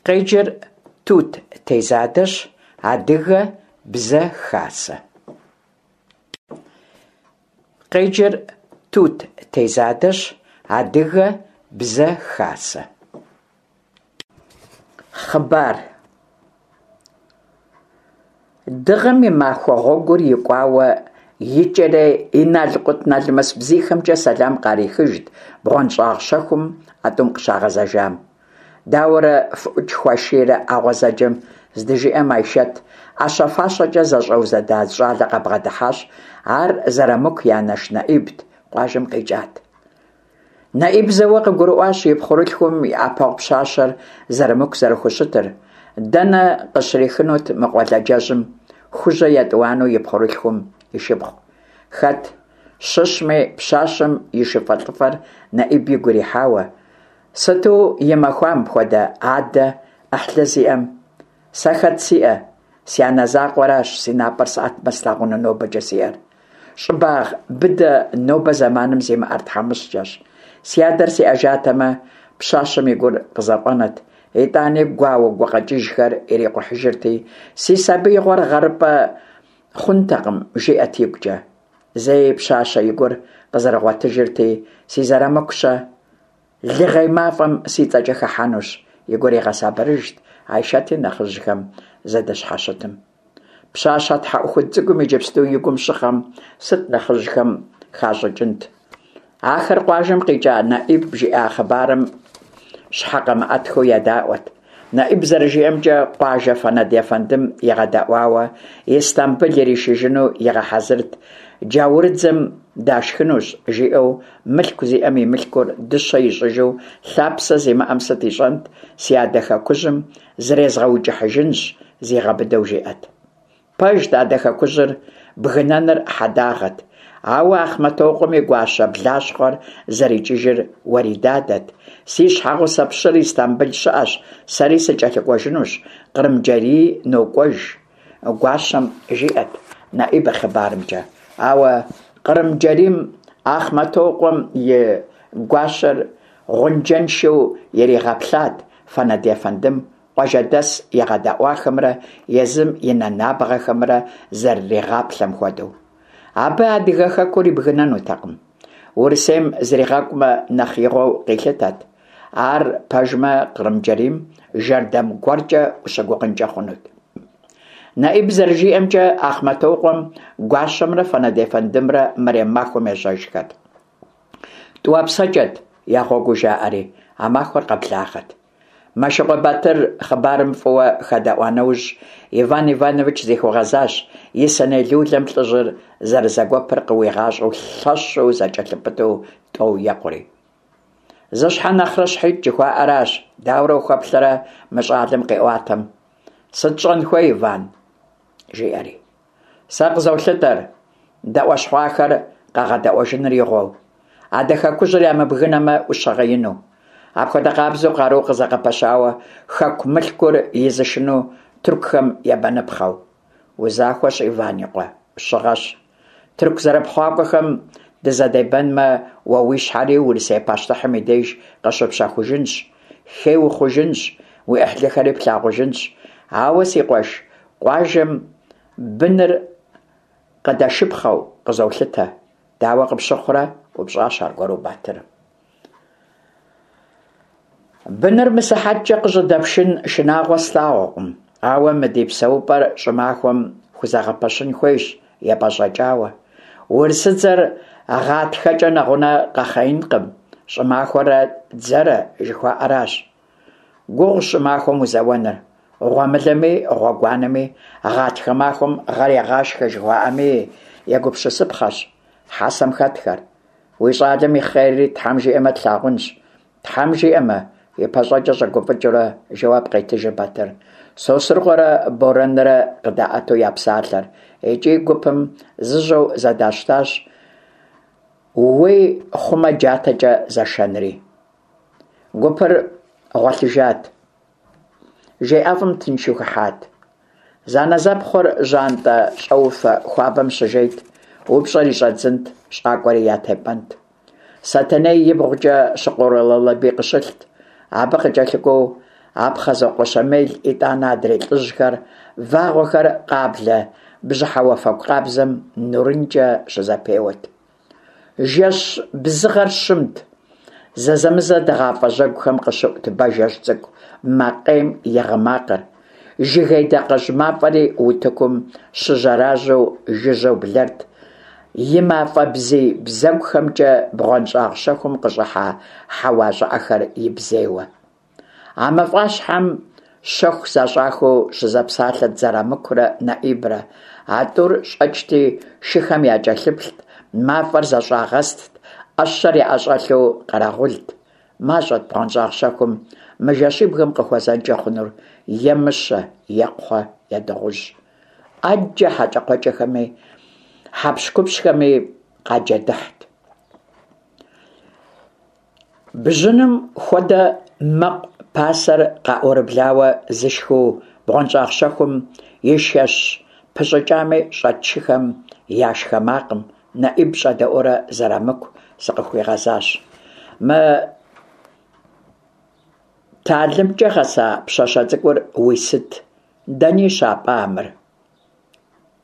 Къеджэр Тут Тезадэщ, Адыгэ бзэ хасэ. Къеджэр Тут Тезадэщ, Адыгэ бзэ хасэ. Хъыбар. Дыгъэм и махуэ гъуэгур икӏуауэ икӏэрей и налкъутналмэс бзийхэмкӏэ сэлам къарихыжт бгъуэнщӏагъ щэхум а тӏум къыщагъэзэжам. Дауэрэ фыӏукӏ хуашийрэ а гъуэзэджэм, здыжиӏэм Айшэт ӏэщэ-фащэкӏэ зэщӏэузэда зы щӏалэ къабгъэдыхьащ, ар Зэрамыку и анэш Нэӏибт, къуажэм къикӏат. Нэӏиб зэуэ къыгурыӏуащ и пхъурылъхум и ӏэпэгъу пщащэр Зэрамыку зэрыхущытыр. Дэнэ къыщрихынут мы къуэладжэжьым Хужьэ етӏуанэу и пхъурылъхум и шыпхъу? Хэт щыщми, пщащэм и шыфэлӏыфэр Нэӏиб игу ирихьауэ. Сыту и махуа мыпхуэдэ адэ, ӏыхьлы зиӏэм? Сэ хэт сиӏэ? Си анэ закъуэращ си напӏэр сӏэтмэ слъагъуну нобэкӏэ сиӏэр. Щӏыбагъ быдэ нобэ зэманым зимыӏэр тхьэмыщкӏэщ. Си адэр сиӏэжатэмэ, пщащэм и гур къызэфӏэнэт, итӏани гуауэ гукъэкӏыжхэр ирикъухьыжырти, си сабиигъуэр гъэрыпӏэ хъунтэкъым, жиӏэт игукӏэ. Зэи пщащэ и гур къызэрыгъуэтыжырти, си Зэрамыку-щэ? Лыгъей мафӏэм си цӏэкӏэ хыхьэнущ, и гур игъэсабырыжт Айшэти нэхъыжьхэм зэдыщхьэщытым. Пщащэ тхьэӏухуд цӏыкӏум иджыпсту и гум щыхъэм сыт нэхъыжьхэм хащӏыкӏынт? Ахэр къуажэм къикӏа Нэӏиб жиӏа хъыбарым щхьэкъэмыӏэтхэу едаӏуэт. Нэӏиб зэрыжиӏэмкӏэ, къуажэ Фэнэд ефэндым игъэдэӏуауэ, Истамбыл иришыжыну игъэхьэзырт, джаурыдзэм дашхынущ, жиӏэу, мылъку зиӏэм и мылъкур дыщэ ищӏыжу, лъапсэ зимыӏэм сыт ищӏэнт, си адэ хэкужьым зрезгъэукӏыхьыжынщ, зигъэбыдэу жиӏэт. Пэжт, адэ хэкужьыр бгынэныр хьэдагъэт. Ауэ Ахъмэтокъуэм и гуащэ блащхъуэр зэрикӏыжыр уэридадэт. Си щхьэгъусэ пщыр Истамбыл щыӏэщ, сэри сыкӏэлъыкӏуэжынущ, Кърымджэрий нокӏуэж, гуащэм жиӏэт Нэӏиб и хъыбарымкӏэ. Ауэ Кърымджэрийм Ахъмэтокъуэм и гуащэр гъунджэншэу иригъэплъат Фэнэд ефэндым къуажэдэс игъэдэӏуахэмрэ езым и нэ набгъэхэмрэ зэрыригъаплъэм хуэдэу. Абы адыгэ хэкур ибгынэнутэкъым. Урысейм зригъэкӏумэ, нэхъ игъуэу къилъытэт. Ар пэжмэ, Кърымджэрийм жэрдэм гуэркӏэ ущыгугъынкӏэ хъунут. Нэӏиб зэрыжиӏэмкӏэ, Ахъмэтокъуэм гуащэмрэ Фэнэд ефэндымрэ мэрем махуэм ежьэжхэт. Тӏуапсэкӏэт я гъуэгуу жаӏэри, а махуэр къэблагъэт. Мэшыкъуэ Батыр хъыбарым фӏыуэ хэдэӏуа нэужь, Иван Иванович зихуигъэзащ, и сэней лулэм лӏыжьыр зэрызэгуэпыр къыуигъащӏэу лъэщу зэкӏэлъыпыту тӏэу екъури. Зы щхьэ нэхърэ щхьитӏ жыхуаӏэращ, дауэрэ ухуэплъэрэ мы щӏалэм къиӏуатэм? Сыт щӏэн хуей, Иван? жиӏэри. Сэ къызолъытэр, дэӏуэщхъуахэр къэгъэдэӏуэжыныр игъуэу. Адэ хэкужьыр ямыбгынэмэ, ӏущыгъэ ину. Апхуэдэ къабзэу къару къызэгъэпэщауэ хэку мылъкур изышыну тыркухэм ебэныпхъэу. Узахуэщ, Иван и къуэ, ӏущыгъэщ. Тырку зэрыпхъуакӏуэхэм дызэдебэнмэ, уэ уи щхьэри Урысей пащтыхьым и деж къыщыпщэхужынщ, хей ухъужынщ, уи ӏыхьлыхэри плъагъужынщ. Ауэ, си къуэш, къуажэм быныр къыдэшыпхъэу къызолъытэ. Дауэ къыпщыхъурэ? ӏупщӏащ аргуэру Батыр. Быныр мысыхьэткӏэ къыщӏыдэпшын шынагъуэ слъагъукъым, ауэ мы ди псэупӏэр щӏымахуэм хузэгъэпэщын хуейщ епӏэщӏэкӏауэ. Урысыдзэр гъатхэкӏэ нэгъунэ къэхъеинкъым, щӏымахуэрэ дзэрэ жыхуаӏэращ. Гугъущ щӏымахуэм узэуэныр. Гъуэмылэми, гъуэгуанэми, гъатхэ махуэм гъэр егъашхэ жыхуаӏэми егупсысыпхъэщ хьэсэм хэтхэр. Уи щӏалэм и хъерри Тхьэм жиӏэмэ тлъагъунщ. Тхьэм жиӏэмэ, и пащӏэкӏэ щӏэгуфӏыкӏыурэ жэуап къетыжыр Батыр. Сосрыкъуэрэ Борэнрэ къыдаӏэту я псалъэр. Икӏи гупым зыжьэу зэдащтащ уей хъумэ джатэкӏэ зэшэнри. Гупыр гъуэлъыжат. Жей ӏэфӏым тыншу хыхьат. Зэанэзэпхъур жьантӏэ щӏэуфэ хуабэм щыжейт, упщӏэри щӏадзынт, щӏакӏуэри ятепӏэнт. Сэтэней ибгъукӏэ Щыкъурэ Лалэбий къыщылът. Абы къыкӏэлъыкӏуэу Апхъэзокъуэ Щэмел, итӏанэ адрей лӏыжьхэр, вагъуэхэр къаблэ бжьыхьэ уафэгу къабзэм нурынкӏэ щызэпеуэт. Жэщ бзыгъэр щымт. Зэзэмызэ дыгъафӏэ жьэгухэм къыщыӏут бажэжь цӏыкӏу макъейм и гъы макъыр. Жыгей дакъэжь мафӏэри утыкум щыжьэражьэу жыжьэу блэрт, и мафӏэ бзий бзэгухэмкӏэ бгъуэнщӏагъ щэхум къыщӏыхьа хьэуа щӏыӏэхэр ибзейуэ. А мафӏащхьэм щэху защӏахэу щызэпсалъэт Зэрамыкурэ Нэӏибрэ. А тӏур щӏэкӏти, шыхэм якӏэлъыплът, мафӏэр зэщӏагъэстт, ӏэщэр яӏэщӏэлъу къэрэгъулт. Мащӏэт бгъуэнщӏагъ щэхум мы жэщыбгым къыхуэзэнкӏэ хъунур, е мыщэ, е кхъуэ, е дыгъужь. ӏэджэ хьэкӏэкхъуэкӏэхэми, хьэпщхупщхэми къаджэдыхьт. Бжьыным хуэдэ мэкъу пасэр къаӏурыблауэ зышхыу бгъуэнщӏагъ щэхум и шэщ пыщӏыкӏами щӏэт шыхэм я шхэ макъым Нэӏиб щӏэдэӏуурэ Зэрамыку зыкъыхуигъэзащ. Мы талымкӏэ гъэса пщащэ цӏыкӏур уи сыт? Дэни щапӏа мыр?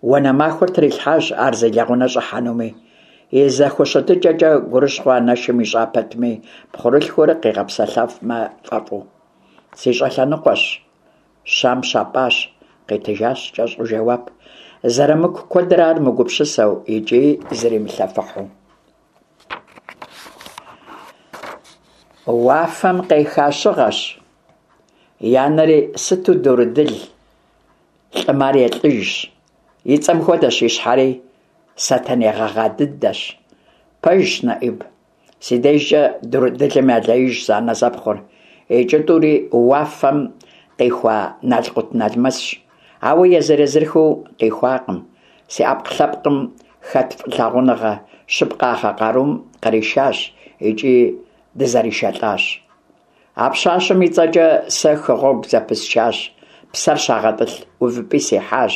Уанэ махуэр трилъхьащ ар зи лэгъунэ щӏыхьэнуми. И зэхущытыкӏэкӏэ гурыщхъуэ анэшым ищӏа пэтми, пхъурылъхур къигъэпсэлъэфмэ фӏэфӏу. Си щӏэлъэныкъуэщ, Щам щапӏащ, къитыжащ кӏэщӏу жэуап. Зэрамыку куэдрэ ар мыгупсысэу икӏи зримылъэфыхьу. Уафэм къеха щыгъэщ. И анэри сыту дурыдыл, лӏым ар елӏыжщ. И цӏэм хуэдэщ и щхьэри, сэтэней гъэгъа дыдэщ. Пэжщ, Нэӏиб, си дежкӏэ дурыдылым ялеижщ зэанэзэпхъур. Икӏи тӏури уафэм къихуа налкъутналмэсщ. Ауэ езыр-езырхэу къихуакъым. Си ӏэпкълъэпкъым хэт фӏылъагъуныгъэ щыпкъагъэ къарум къришащ икӏи дызэришэлӏащ. А пщащэм и цӏэкӏэ сэ хы гъуэгу зэпысчащ, псэр щагъэтӏылъ увыпӏи сихьащ.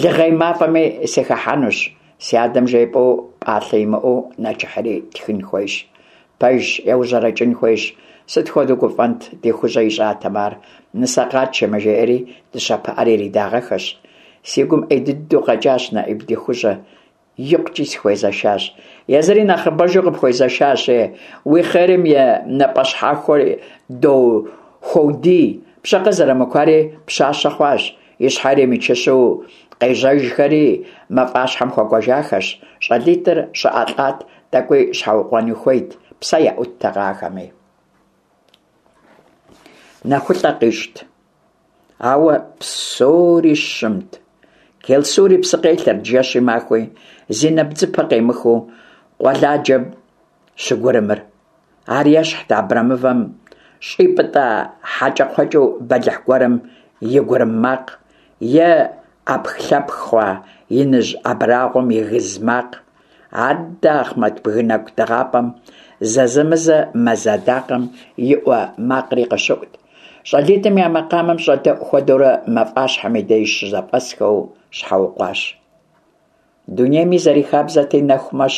Лыгъей мафӏэми сыхыхьэнущ, си адэм жепӏэу пӏалъэ имыӏэу нэчыхьри тхын хуейщ. Пэжщ, еужьэрэкӏын хуейщ. Сыт хуэдэу гуфӏэнт, ди Хужьэ ищӏатэмэ ар, нысэ къатшэмэ, жеӏэри дыщэ пыӏэр иридагъэхэщ. Си гум ӏей дыдэу къэкӏащ Нэӏиб ди Хужьэ. Икъукӏи сыхуезэшащ. Езыри нэхъыбэжу къыпхуезэшащ, е. Уи хъерым и напӏэщхьэхуэр хуодий. Пщӏэкъэ Зэрамыкуари пщащэ хъуащ. И щхьэр имычыщу къежьэжхэри мафӏащхьэм хуэкӏуэжахэщ. Щӏалитӏыр щӏыӏэ лӏат, тӏэкӏуи щхьэукъуэни хуейт, псэ яӏуттэкъэ ахэми. Нэхулъэ къищӏт. Ауэ псори щымт. Келсури псы къелъэрт жэщи махуи, зи нэбдзыпэ къемыхыу къуэладжэм щыгурымыр. Ар ещхьт абрэмывэм щӏипӏытӏа хьэкӏэкхъуэкӏэу бэлыхь гуэрым и гурым макъ е ӏэпхлъэпх хъуа иныжь абрагъуэм и гыз макъ. Аддэ Ахъмэт бгы нэкӏу дыгъапӏэм зэзэмызэ мэз адакъэм и ӏуэ макъри къыщыӏут. Щӏалитӏым я макъамэм щӏэдэӏу хуэдэурэ мафӏащхьэм и деж щызэфӏэсхэу щхьэукъуащ. Дунейми зэрихабзэти, нэху мэщ.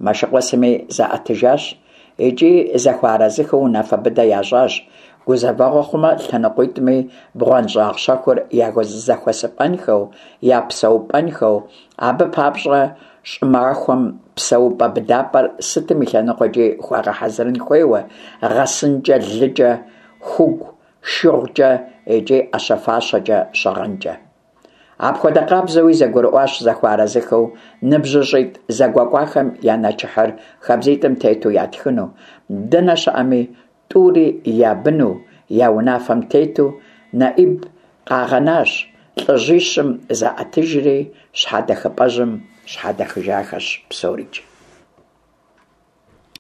Мэшыкъуэ сыми заӏэтыжащ икӏи зэхуэарэзыхэу унафэ быдэ ящӏащ, гузэвэгъуэ хъумэ, лъэныкъуитӏми бгъуэнщӏагъ щэхур я зэхуэсыпӏэнхэу, я псэупӏэнхэу, абы папщӏэ щӏымахуэм псэупӏэ быдапӏэр сытым и лъэныкъуэкӏи хуагъэхьэзырын хуейуэ, гъэсынкӏэ, лыкӏэ, хугу, шыгъукӏэ икӏи ӏэщэ-фащэкӏэ, щыгъынкӏэ. Апхуэдэ къабзэуи зэгурыӏуащ зэхуэарэзыхэу ныбжьыщӏитӏ зэгуэкӏуахэм я нэчыхьыр хабзитӏым тету ятхыну, дэнэ щыӏэми, тӏури я быну, я унафэм тету, Нэӏиб къагъэнащ, лӏыжьищым заӏэтыжри, щхьэдэхыпӏэжьым щхьэдэхыжахэщ псорикӏ.